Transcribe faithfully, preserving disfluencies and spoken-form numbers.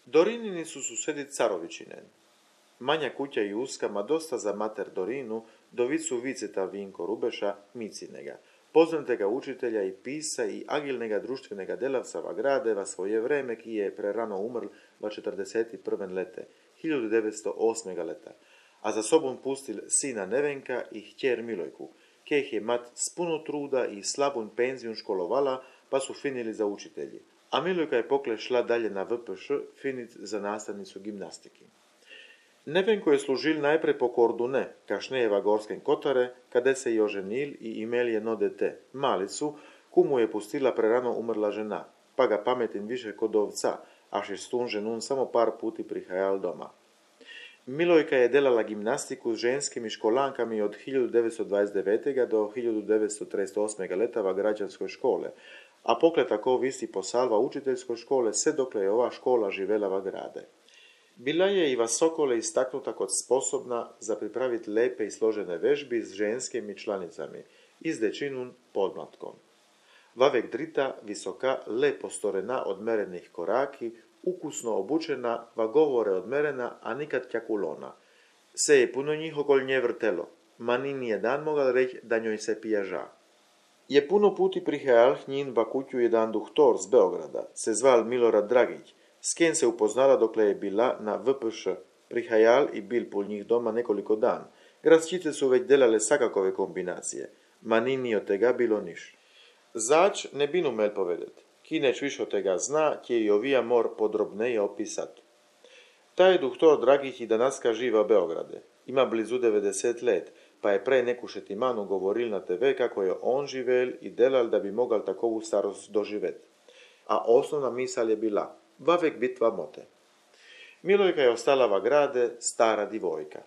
Dorinini su susedi Carovićine. Manja kuća i uska, ma dosta za mater Dorinu, do vicu viceta Vinko Rubeša, Micinega, poznatega učitelja i pisa i agilnega društvenega delavca va gradeva svoje vreme, ki je prerano umrl va četrdeset prve lete, hiljadu devetsto osmega leta, a za sobom pustil sina Nevenka i htjer Milojku, kejih je mat s puno truda i slabun penzijun školovala, pa su finili za učitelji. A Milojka je pokle šla dalje na V P Š finit za nastavnicu gimnastiki. Nevenko je služil najprej po Kordune, kašneje v Gorskem Kotare, kade se je oženil i imel jedno dete, malicu, ku mu je pustila prerano umrla žena, pa ga pametin više kod ovca, až je s tun ženun samo par puti prihajal doma. Milojka je delala gimnastiku s ženskimi školankami od hiljadu devetsto dvadeset devetega do hiljadu devetsto trideset osmega leta v građanskoj škole, a pokle tako visi posalva učiteljskoj škole, sve dokle je ova škola živela v grade. Bila je i va Sokole istaknuta kot sposobna za pripraviti lepe i složene vežbi s ženskimi članicami i s dečinun podmlatkom. Vavek drita, visoka, lepo storena odmerenih koraki, ukusno obučena, va govore odmerena, a nikad kjakulona. Se je puno njih okol nje vrtelo, ma ni nijedan mogal reći da njoj se pijaža. Je puno puti prihajal njin va kuću jedan duhtor z Beograda, se zval Milorad Dragić, s kim se upoznala dokle je bila na V P Š. Prihajal i bil pol njih doma nekoliko dan. Gradčice su već delale sakakove kombinacije, ma ni ni od tega bilo niš. Zač ne bin umel povedet, ki neč više od tega zna, kje i ovija mor podrobneje opisat. Taj duhtor Dragić i danaska živa u Beograde. Ima blizu devedeset let, pa je prej neku šetimanu govoril na te ve kako je on živel i delal da bi mogal takovu starost doživet. A osnovna misal je bila, vavek bit va mote. Milojka je ostala va grade stara divojka.